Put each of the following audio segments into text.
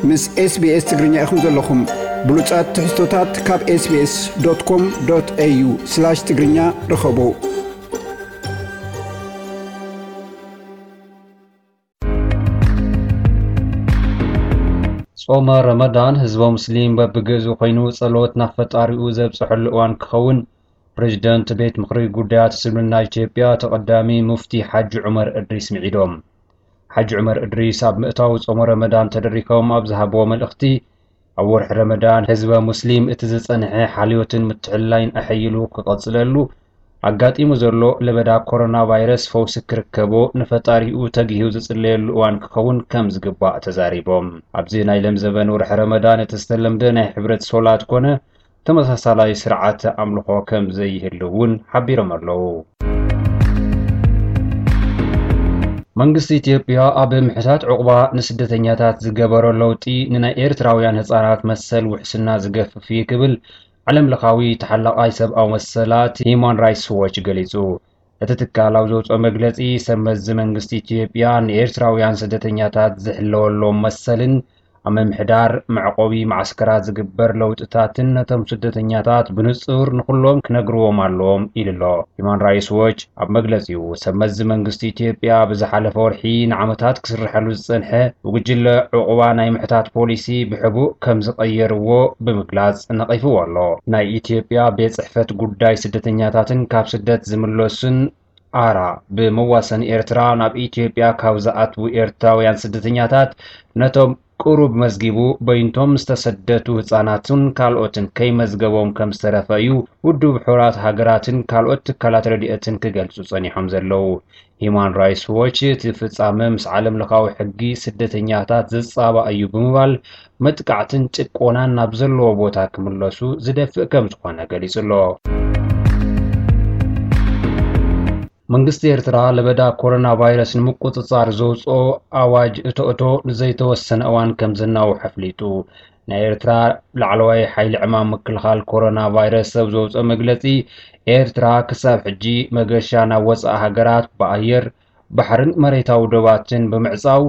ምስ SBS ትግርኛ ኢኹም ዘለኹም። ብሉጻት ትሕዝቶታት ካብ SBS.com.au/ትግርኛ ርኸቡ። ጾመ ረመዳን ህዝበ ሙስሊም በብግእዙ ኮይኑ ጸሎት ናብ ፈጣሪኡ ዘብጽሐሉ እዋን ክኸውን ፕሬዚደንት ቤት ምኽሪ ጉዳያት እስልምና ኢትዮጵያ ተቐዳሚ ሙፍቲ ሓጂ ዑመር እድሪስ ምዒዶም። ሓጂ ዑመር እድሪስ ኣብ ምእታው ጾመ ረመዳን ተደሪኾም ኣብ ዝሃብዎ መልእኽቲ፣ ኣብ ወርሒ ረመዳን ህዝበ ሙስሊም እቲ ዝጸንሐ ሓልዮትን ምትሕልላይን ኣሐይሉ ክቐጽለሉ፣ ኣጋጢሙ ዘሎ ለበዳ ኮሮና ቫይረስ ፈውሲ ክርከቦ ንፈጣሪኡ ተጊሁ ዝጽለየሉ እዋን ክኸውን ከም ዝግባእ ተዛሪቦም። ኣብዚ ናይ ለምዘበን ወርሒ ረመዳን እቲ ዝተለምደ ናይ ሕብረት ሶላት ኮነ ተመሳሳላይ ስርዓተ ኣምልኾ ከም ዘይህሉ እውን ሓቢሮም ኣለዉ። መንግስቲ ኢትዮጵያ ኣብ ምሕታት ዕቑባ ንስደተኛታት ዝገበሮ ለውጢ ንናይ ኤርትራውያን ህጻናት መሰል ውሕስና ዝገፍፍ እዩ ክብል ዓለም ለኻዊ ተሓላቓይ ሰብኣዊ መሰላት ሂዩማን ራይትስ ዎች ገሊጹ። እቲ ትካል ኣብ ዘውፅኦ መግለፂ፣ ሰብ መዚ መንግስቲ ኢትዮጵያ ንኤርትራውያን ስደተኛታት ዝሕለወሎም መሰልን ኣብ ምምሕዳር መዕቆቢ መዓስከራት ዝግበር ለውጥታትን ነቶም ስደተኛታት ብንጹር ንኹሎም ክነግርዎም ኣለዎም ኢሉ ኣሎ። ሂዩማን ራይትስ ዎች ኣብ መግለጺኡ፣ ሰብ መዚ መንግስቲ ኢትዮጵያ ብዝሓለፈ ወርሒ ንዓመታት ክስርሐሉ ዝጸንሐ ብጉጅለ ዕቑባ ናይ ምሕታት ፖሊሲ ብሕቡእ ከም ዝቐየርዎ ብምግላጽ ነቒፍዎ ኣሎ። ናይ ኢትዮጵያ ቤት ጽሕፈት ጉዳይ ስደተኛታትን ካብ ስደት ዝምለሱን ኣራ ብመዋሰኒ ኤርትራ ናብ ኢትዮጵያ ካብ ዝኣትዉ ኤርትራውያን ስደተኛታት ነቶም ቁሩብ መዝጊቡ በይንቶም ዝተሰደቱ ህጻናትን ካልኦትን ከይመዝገቦም ከም ዝተረፈ እዩ ውድብ ሕቡራት ሃገራትን ካልኦት ትካላት ረድኤትን ክገልጹ ጸኒሖም ዘለዉ። ሂዩማን ራይትስ ዎች እቲ ፍጻመ ምስ ዓለም ለኻዊ ሕጊ ስደተኛታት ዝጻባእ እዩ ብምባል መጥቃዕትን ጭቆናን ናብ ዘለዎ ቦታ ክምለሱ ዝደፍእ ከም ዝኾነ ገሊጹ ኣሎ። መንግስቲ ኤርትራ ለበዳ ኮሮና ቫይረስ ንምቁጽጻር ዘውጽኦ ኣዋጅ እቶ እቶ ንዘይተወሰነ እዋን ከም ዘናውሖ ኣፍሊጡ። ናይ ኤርትራ ላዕለዋይ ሓይሊ ዕማም ምክልኻል ኮሮና ቫይረስ ኣብ ዘውጽኦ መግለጺ፣ ኤርትራ ክሳብ ሕጂ መገሻ ናብ ወጻኢ ሃገራት ብኣየር፣ ባሕርን መሬታዊ ዶባትን ብምዕጻው፣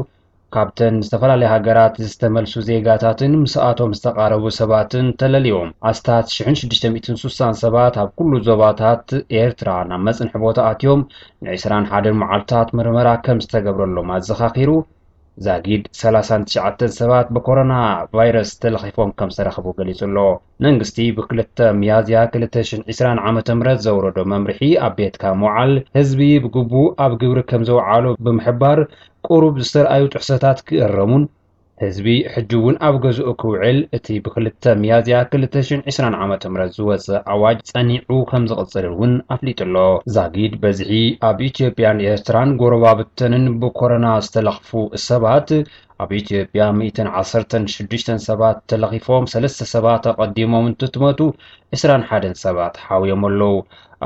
ካብተን ዝተፈላለያ ሃገራት ዝተመልሱ ዜጋታትን ምስኣቶም ዝተቓረቡ ሰባትን ተለልዮም፣ ኣስታት ሽሕን ሽዱሽተ ሚእትን ስሳን ሰባት ኣብ ኩሉ ዞባታት ኤርትራ ናብ መጽንሒ ቦታ ኣትዮም ን ዕስራን ሓደን መዓልታት ምርመራ ከም ዝተገብረሎም ኣዘኻኺሩ፣ ዛጊድ ሰላሳን ትሽዓተን ሰባት ብኮሮና ቫይረስ ተለኺፎም ከም ዝተረኽቡ ገሊጹ ኣሎ። መንግስቲ ብክልተ ሚያዝያ ክልተ ሽሕን ዕስራን ዓመተ ምህረት ዘውረዶ መምርሒ ኣብ ቤትካ ምውዓል፣ ህዝቢ ብግቡእ ኣብ ግብሪ ከም ዘውዓሎ ብምሕባር፣ ቁሩብ ዝተርኣዩ ጥሕሰታት ክእረሙን፣ ህዝቢ ሕጂ እውን ኣብ ገዝኡ ክውዕል እቲ ብክልተ ሚያዝያ ክልተ ሽሕን ዕስራን ዓመተ ምህረት ዝወጸ ኣዋጅ ጸኒዑ ከም ዝቕጽል እውን ኣፍሊጡ ኣሎ። ዛጊድ በዝሒ ኣብ ኢትዮጵያን ኤርትራን ጎረባብተንን ብኮሮና ዝተለኽፉ ሰባት፣ ኣብ ኢትዮጵያ ሚእትን ዓሰርተን ሽዱሽተን ሰባት ተለኺፎም፣ ሰለስተ ሰባት ኣቐዲሞም እንትትመቱ፣ ዕስራን ሓደን ሰባት ሓውዮም ኣለዉ።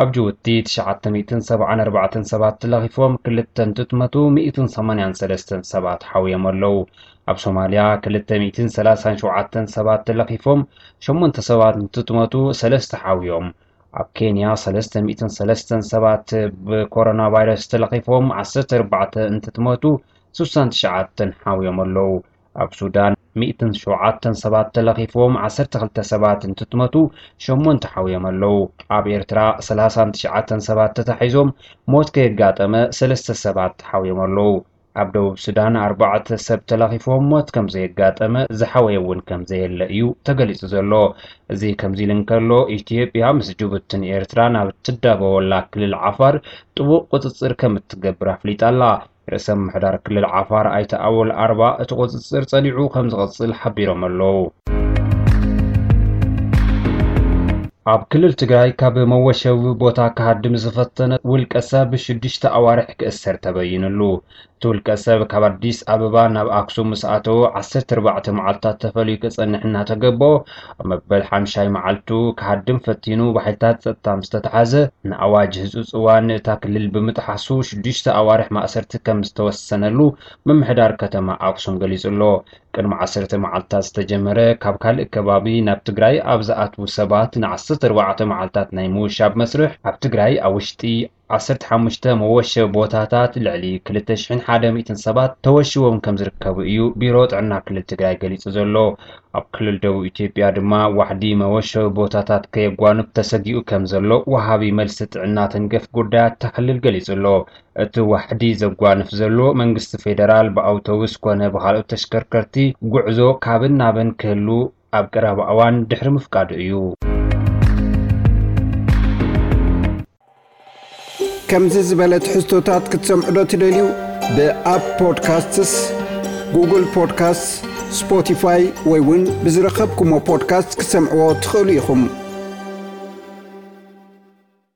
ኣብ ጅቡቲ ትሽዓተ ሚእትን ሰብዓን ኣርባዕተን ሰባት ተለኺፎም፣ ክልተ እንትትመቱ፣ ሚእትን ሰማንያን ሰለስተን ሰባት ሓውዮም ኣለዉ። ኣብ ሶማልያ ክልተ ሚእትን ሰላሳን ሸውዓተን ሰባት ተለኺፎም፣ ሸሞንተ ሰባት እንትትመቱ፣ ሰለስተ ሓውዮም። ኣብ ኬንያ ሰለስተ ሚእትን ሰለስተን ሰባት ብኮሮና ቫይረስ ተለኺፎም፣ ዓሰርተ ኣርባዕተ እንትትመቱ፣ ስሳን ትሽዓተን ሓውዮም ኣለዉ። ኣብ ሱዳን ሚእትን ሸውዓተን ሰባት ተለኺፎም፣ ዓሰርተ ክልተ ሰባት እንትትመቱ፣ ሸሞንተ ሓውዮም ኣለዉ። ኣብ ኤርትራ ሰላሳን ትሽዓተን ሰባት ተታሒዞም፣ ሞት ከየጋጠመ ሰለስተ ሰባት ሓውዮም ኣለዉ። ኣብ ደቡብ ሱዳን ኣርባዕተ ሰብ ተለኺፎም፣ ሞት ከም ዘየጋጠመ፣ ዝሓወየ እውን ከም ዘየለ እዩ ተገሊጹ ዘሎ። እዚ ከምዚ ኢሉ እንከሎ፣ ኢትዮጵያ ምስ ጅቡትን ኤርትራን ኣብ እትዳበወላ ክልል ዓፋር ጥቡቕ ቁጽጽር ከም እትገብር ኣፍሊጣ ኣላ። ርእሰ ምምሕዳር ክልል ዓፋር ኣይተ ኣወል ኣርባ እቲ ቁጽጽር ጸኒዑ ከም ዝቕጽል ሓቢሮም ኣለዉ። ኣብ ክልል ትግራይ ካብ መወሸቢ ቦታ ክሃድም ዝፈተነ ውልቀ ሰብ ሽዱሽተ ኣዋርሕ ክእሰር ተበይኑሉ። እቲ ውልቀ ሰብ ካብ ኣዲስ ኣበባ ናብ ኣክሱም ምስ ኣተወ ዓሰርተ ኣርባዕተ መዓልታት ተፈልዩ ክጸንሕ እናተገበኦ፣ ኣብ መበል ሓምሻይ መዓልቱ ክሃድም ፈቲኑ ብሓይልታት ጸጥታ ምስ ተተሓዘ፣ ንኣዋጅ ህጹጽ እዋን እታ ክልል ብምጥሓሱ ሽዱሽተ ኣዋርሕ ማእሰርቲ ከም ዝተወሰነሉ ምምሕዳር ከተማ ኣክሱም ገሊጹ ኣሎ። ቅድሚ ዓሰርተ መዓልታት ዝተጀመረ ካብ ካልእ ከባቢ ናብ ትግራይ ኣብ ዝኣትዉ ሰባት ን ዓሰርተ ኣርባዕተ መዓልታት ናይ ምውሻብ መስርሕ ኣብ ትግራይ ኣብ ውሽጢ ዓሰርተ ሓሙሽተ መወሸቢ ቦታታት ልዕሊ ክልተ ሽሕን ሓደ ሚእትን ሰባት ተወሽቦም ከም ዝርከቡ እዩ ቢሮ ጥዕና ክልል ትግራይ ገሊጹ ዘሎ። ኣብ ክልል ደቡብ ኢትዮጵያ ድማ ዋሕዲ መወሸቢ ቦታታት ከየጓንፍ ተሰጊኡ ከም ዘሎ ወሃቢ መልሲ ጥዕና ተንገፍ ጉዳያት እታ ክልል ገሊጹ ኣሎ። እቲ ዋሕዲ ዘጓንፍ ዘሎ መንግስቲ ፌደራል ብኣውቶቡስ ኮነ ብኻልኦት ተሽከርከርቲ ጉዕዞ ካብን ናብን ክህሉ ኣብ ቀረባ እዋን ድሕሪ ምፍቃዱ እዩ። ከምዚ ዝበለ ትሕዝቶታት ክትሰምዑ ዶ ትደልዩ? ብኣፕ ፖድካስትስ፣ ጉግል ፖድካስትስ፣ ስፖቲፋይ ወይ እውን ብዝረኸብኩሞ ፖድካስት ክትሰምዕዎ ትኽእሉ ኢኹም።